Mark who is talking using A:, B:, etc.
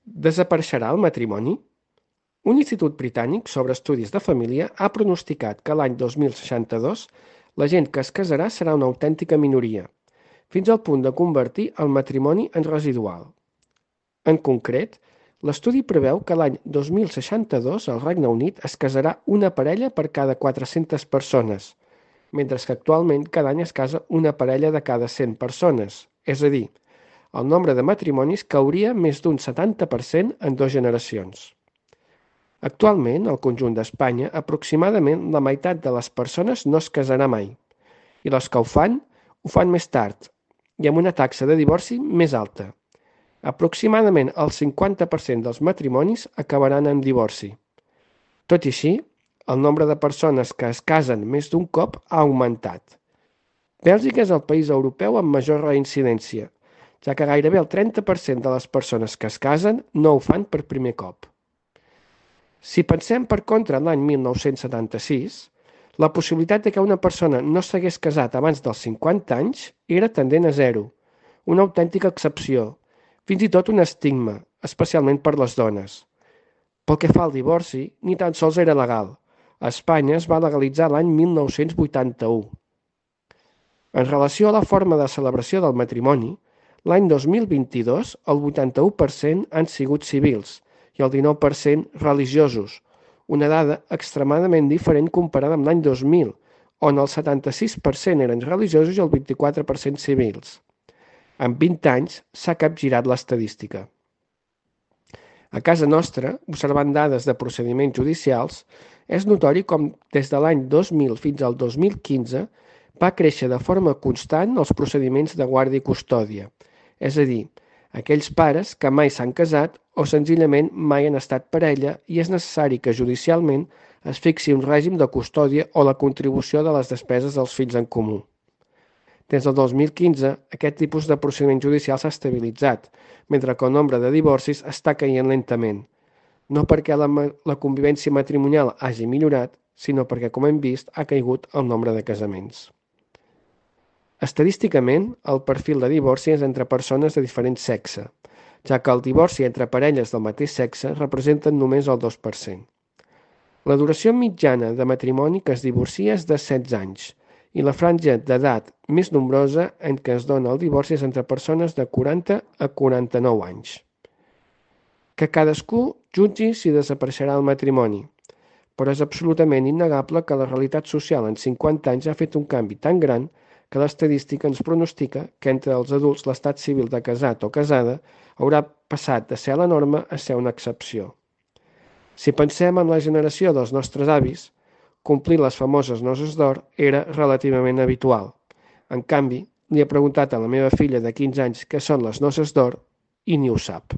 A: Desapareixerà el matrimoni? Un institut britànic sobre estudis de família ha pronosticat que l'any 2062 la gent que es casarà serà una autèntica minoria, fins al punt de convertir el matrimoni en residual. En concret, l'estudi preveu que l'any 2062 al Regne Unit es casarà una parella per cada 400 persones, mentre que actualment cada any es casa una parella de cada 100 persones, és a dir, el nombre de matrimonis cauria més d'un 70% en 2 generacions. Actualment, al conjunt d'Espanya, aproximadament la meitat de les persones no es casarà mai, i les que ho fan més tard, i amb una taxa de divorci més alta. Aproximadament el 50% dels matrimonis acabaran en divorci. Tot i així, el nombre de persones que es casen més d'un cop ha augmentat. Bèlgica és el país europeu amb major reincidència, ja que gairebé el 30% de les persones que es casen no ho fan per primer cop. Si pensem per contra en l'any 1976, la possibilitat de que una persona no s'hagués casat abans dels 50 anys era tendent a zero, una autèntica excepció, fins i tot un estigma, especialment per les dones. Pel que fa al divorci, ni tan sols era legal. A Espanya es va legalitzar l'any 1981. En relació a la forma de celebració del matrimoni, l'any 2022 el 81% han sigut civils i el 19% religiosos, una dada extremadament diferent comparada amb l'any 2000, on el 76% eren religiosos i el 24% civils. En 20 anys s'ha capgirat l'estadística. A casa nostra, observant dades de procediments judicials, és notori com des de l'any 2000 fins al 2015 va créixer de forma constant els procediments de guàrdia i custòdia, és a dir, aquells pares que mai s'han casat o senzillament mai han estat parella i és necessari que judicialment es fixi un règim de custòdia o la contribució de les despeses dels fills en comú. Des del 2015, aquest tipus de procediment judicial s'ha estabilitzat, mentre que el nombre de divorcis està caient lentament, no perquè la convivència matrimonial hagi millorat, sinó perquè, com hem vist, ha caigut el nombre de casaments. Estadísticament, el perfil de divorci és entre persones de diferent sexe, ja que el divorci entre parelles del mateix sexe representen només el 2%. La duració mitjana de matrimoni que es divorcia és de 16 anys, i la franja d'edat més nombrosa en què es dona el divorci és entre persones de 40 a 49 anys. Que cadascú jutgi si desapareixerà el matrimoni, però és absolutament innegable que la realitat social en 50 anys ha fet un canvi tan gran que l'estadística ens pronostica que entre els adults l'estat civil de casat o casada haurà passat de ser la norma a ser una excepció. Si pensem en la generació dels nostres avis, complir les famoses noces d'or era relativament habitual. En canvi, li he preguntat a la meva filla de 15 anys què són les noces d'or i ni ho sap.